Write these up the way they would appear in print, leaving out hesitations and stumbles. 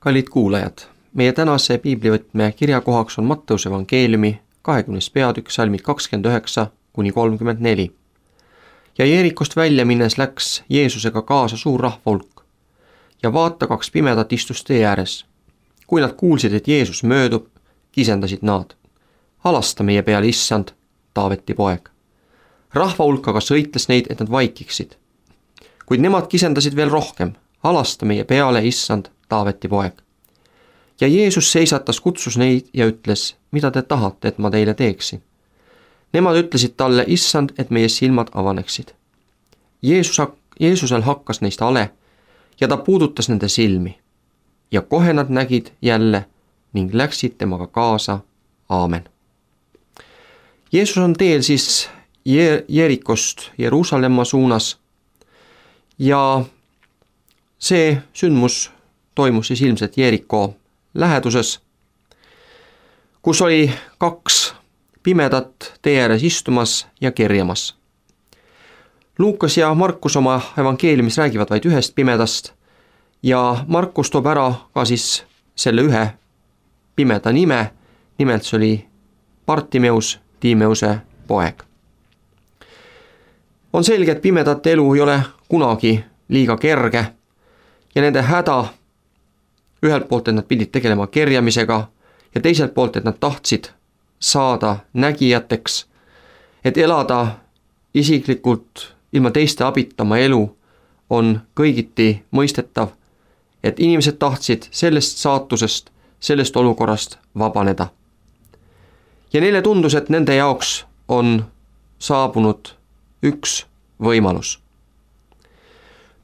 Kallid kuulajad, meie tänase piiblivõtme kirjakohaks on Matteuse evangeeliumi 20. peatükk salmid 29–34. Ja Jeerikost välja minnes läks Jeesusega kaasa suur rahvahulk ja vaata, 2 pimedat istus tee ääres. Kui nad kuulsid, et Jeesus möödub, kisendasid nad: "Halasta meie peale, issand, Taaveti poeg." Rahvahulk aga sõitles neid, et nad vaikiksid. Kuid nemad kisendasid veel rohkem: "Halasta meie peale, issand, Taaveti poeg." Ja Jeesus seisatas, kutsus neid ja ütles: "Mida te tahate, et ma teile teeksin?" Nemad ütlesid talle: "Issand, et meie silmad avaneksid." Jeesusel hakkas neist hale ja ta puudutas nende silmi. Ja kohe nad nägid jälle ning läksid temaga kaasa. Aamen. Jeesus on teel siis Jeerikost Jeruusalemma suunas ja see sündmus toimus siis ilmselt Jeeriko läheduses, kus oli 2 pimedat tee ääres istumas ja kerjamas. Luukas ja Markus oma evangeeliumis räägivad vaid 1 pimedast ja Markus toob ära ka siis selle 1 pimeda nime, nimelt see oli Bartimeus, Tiimeuse poeg. On selge, et pimedate elu ei ole kunagi liiga kerge ja nende häda ühelt poolt, et nad pidid tegelema kerjamisega ja teiselt poolt, et nad tahtsid saada nägijateks, et elada isiklikult ilma teiste abita oma elu, on kõigiti mõistetav, et inimesed tahtsid sellest saatusest, sellest olukorrast vabaneda. Ja neile tundus, et nende jaoks on saabunud üks võimalus.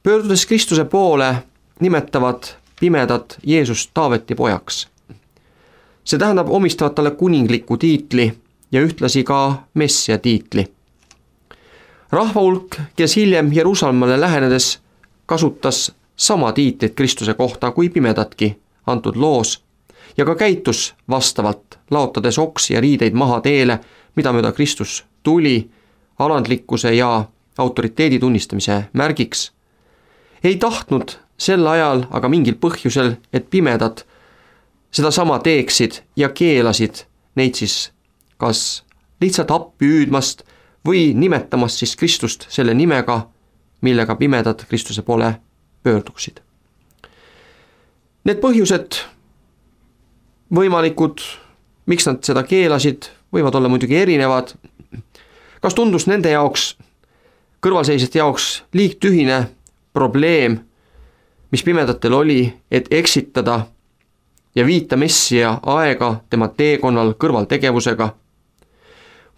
Pöördudes Kristuse poole nimetavad pimedad Jeesust Taaveti pojaks. See tähendab, omistavad talle kuningliku tiitli ja ühtlasi ka Messia tiitli. Rahvahulk, kes hiljem Jeruusalemmale lähenedes kasutas sama tiitlit Kristuse kohta kui pimedatki antud loos ja ka käitus vastavalt, laotades oksi ja riideid maha teele, mida mööda Kristus tuli, alandlikkuse ja autoriteedi tunnistamise märgiks. Ei tahtnud sel ajal aga mingil põhjusel, et pimedad seda sama teeksid ja keelasid neid siis kas lihtsalt appi hüüdmast või nimetamast siis Kristust selle nimega, millega pimedad Kristuse poole pöörduksid. Need põhjused võimalikud, miks nad seda keelasid, võivad olla muidugi erinevad. Kas tundus nende jaoks, kõrvalseisjate jaoks liigtühine probleem, mis pimedatel oli, et eksitada ja viita Messia aega tema teekonnal kõrvaltegevusega?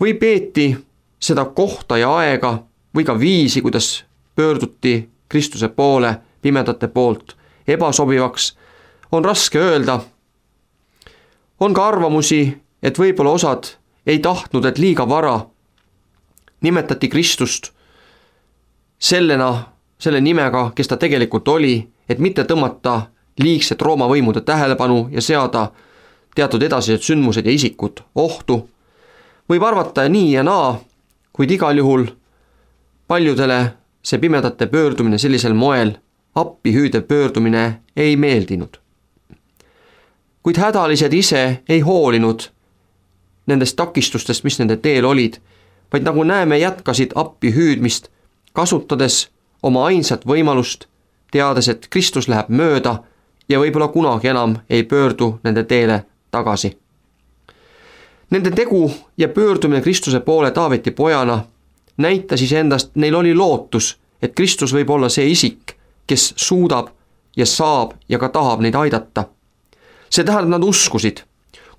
Või peeti seda kohta ja aega või ka viisi, kuidas pöörduti Kristuse poole pimedate poolt, ebasobivaks, on raske öelda. On ka arvamusi, et võib-olla osad ei tahtnud, et liiga vara nimetati Kristust selle nimega, kes ta tegelikult oli, et mitte tõmmata liigset Rooma võimude tähelepanu ja seada teatud edasised sündmused ja isikud ohtu. Võib arvata nii ja naa, kuid igal juhul paljudele see pimedate pöördumine sellisel moel, appi hüüdev pöördumine ei meeldinud. Kuid hädalised ise ei hoolinud nendest takistustest, mis nende teel olid, vaid nagu näeme, jätkasid appi hüüdmist, kasutades oma ainsat võimalust, teades, et Kristus läheb mööda ja võib-olla kunagi enam ei pöördu nende teele tagasi. Nende tegu ja pöördumine Kristuse poole Taaveti pojana näitas iseendast, neil oli lootus, et Kristus võib olla see isik, kes suudab ja saab ja ka tahab neid aidata. See tähendab, nad uskusid.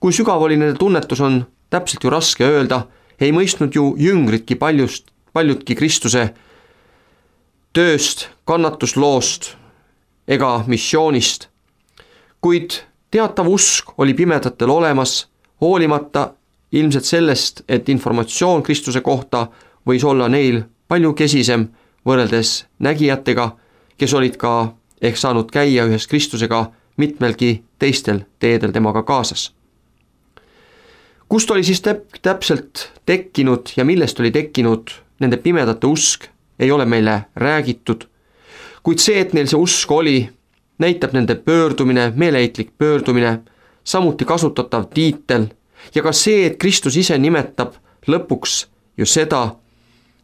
Kui sügav oli nende tunnetus, on täpselt ju raske öelda, ei mõistnud ju jüngritki paljudki Kristuse tööst, kannatusloost ega missioonist. Kuid teatav usk oli pimedatel olemas, hoolimata ilmselt sellest, et informatsioon Kristuse kohta võis olla neil palju kesisem võrreldes nägijatega, kes olid ka ehk saanud käia ühes Kristusega mitmelgi teistel teedel temaga kaasas. Kust oli siis täpselt tekkinud ja millest oli tekkinud nende pimedate usk, ei ole meile räägitud, kuid see, et neil see usk oli, näitab nende pöördumine, meeleheitlik pöördumine, samuti kasutatav tiitel ja ka see, et Kristus ise nimetab lõpuks ju seda,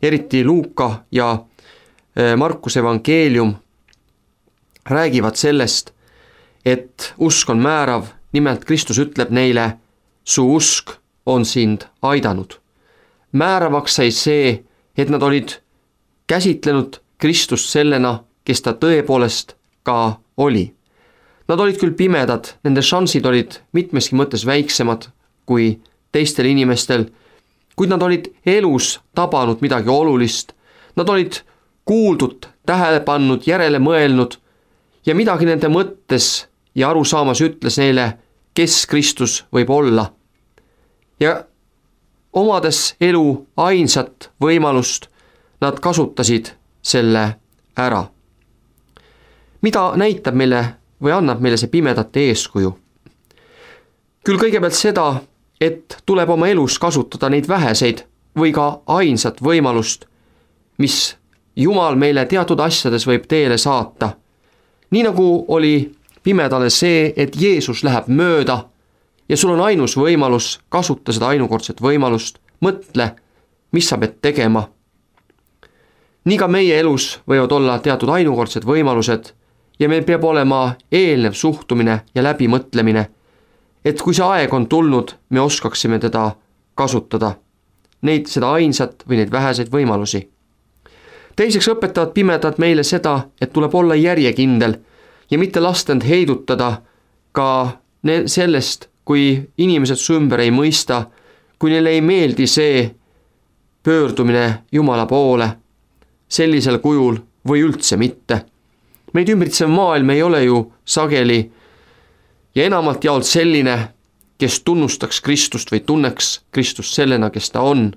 eriti Luuka ja Markuse evangeelium räägivad sellest, et usk on määrav, nimelt Kristus ütleb neile, su usk on sind aidanud. Määravaks sai see, et nad olid käsitlenud Kristust sellena, kes ta tõepoolest ka oli. Nad olid küll pimedad, nende šansid olid mitmeski mõttes väiksemad kui teistel inimestel, kuid nad olid elus tabanud midagi olulist. Nad olid kuuldud, tähele pannud, järele mõelnud ja midagi nende mõttes ja arusaamas ütles neile, kes Kristus võib olla. Ja omades elu ainsat võimalust, nad kasutasid selle ära. Mida näitab meile või annab meile see pimedate eeskuju? Küll kõigepealt seda, et tuleb oma elus kasutada neid väheseid või ka ainsat võimalust, mis Jumal meile teatud asjades võib teele saata. Nii nagu oli pimedale see, et Jeesus läheb mööda ja sul on ainus võimalus kasuta seda ainukordset võimalust, mõtle, mis sa pead tegema. Nii ka meie elus võivad olla teatud ainukordsed võimalused ja meil peab olema eelnev suhtumine ja läbimõtlemine, et kui see aeg on tulnud, me oskaksime teda kasutada, seda ainsat või neid väheseid võimalusi. Teiseks õpetavad pimedad meile seda, et tuleb olla järjekindel ja mitte lasta end heidutada ka sellest, kui inimesed su ümber ei mõista, kui neile ei meeldi see pöördumine Jumala poole sellisel kujul või üldse mitte. Meid ümbritsev maailm ei ole ju sageli ja enamalt jaolt selline, kes tunnustaks Kristust või tunneks Kristust sellena, kes ta on.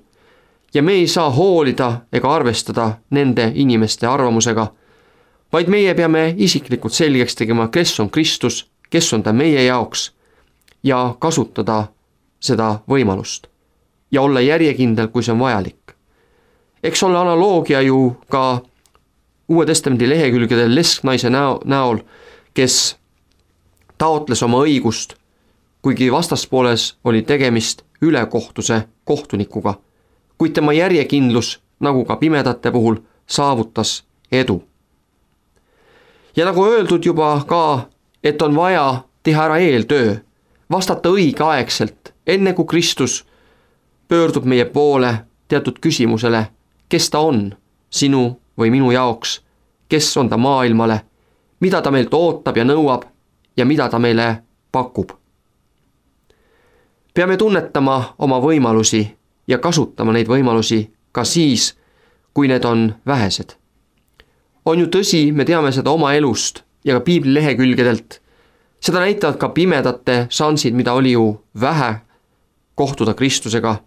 Ja me ei saa hoolida ega arvestada nende inimeste arvamusega, vaid meie peame isiklikult selgeks tegema, kes on Kristus, kes on ta meie jaoks ja kasutada seda võimalust ja olla järjekindel, kui see on vajalik. Eks ole analoogia ju ka Uue Testamendi lehekülgedel lesknaise näol, kes taotles oma õigust, kuigi vastaspooles oli tegemist ülekohtuse kohtunikuga, kuid tema järjekindlus, nagu ka pimedate puhul, saavutas edu. Ja nagu öeldud juba ka, et on vaja teha ära eeltöö, vastata õigeaegselt, enne kui Kristus pöördub meie poole teatud küsimusele, kes ta on sinu või minu jaoks, kes on ta maailmale, mida ta meilt ootab ja nõuab ja mida ta meile pakub. Peame tunnetama oma võimalusi ja kasutama neid võimalusi ka siis, kui need on vähesed. On ju tõsi, me teame seda oma elust ja ka piibli lehekülgedelt. Seda näitavad ka pimedate šansid, mida oli ju vähe kohtuda Kristusega.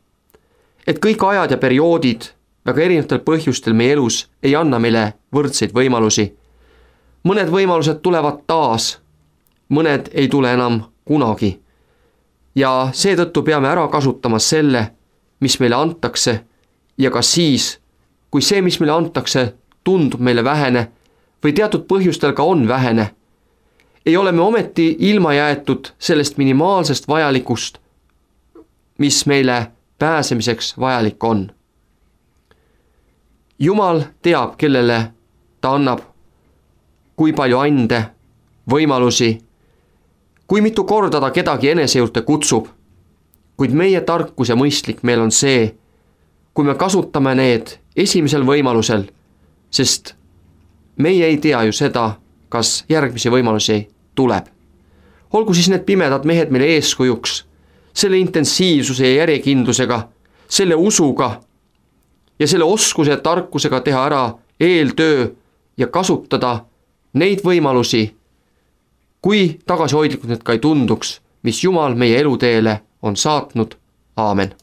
Et kõik ajad ja perioodid väga erinevatel põhjustel meie elus ei anna meile võrdseid võimalusi. Mõned võimalused tulevad taas, mõned ei tule enam kunagi. Ja seetõttu peame ära kasutama selle, mis meile antakse ja ka siis, kui see, mis meile antakse, tundub meile vähene või teatud põhjustel ka on vähene, ei ole me ometi ilma jäetud sellest minimaalsest vajalikust, mis meile pääsemiseks vajalik on. Jumal teab, kellele ta annab, kui palju ande, võimalusi, kui mitu korda ta kedagi enese juurde kutsub, kuid meie tarkus ja mõistlik meil on see, kui me kasutame need esimesel võimalusel, sest meie ei tea ju seda, kas järgmisi võimalusi tuleb. Olgu siis need pimedad mehed meile eeskujuks, selle intensiivsuse ja järjekindlusega, selle usuga ja selle oskuse ja tarkusega teha ära eeltöö ja kasutada neid võimalusi, kui tagasihoidlikud need ka ei tunduks, mis Jumal meie eluteele on saatnud. Aamen.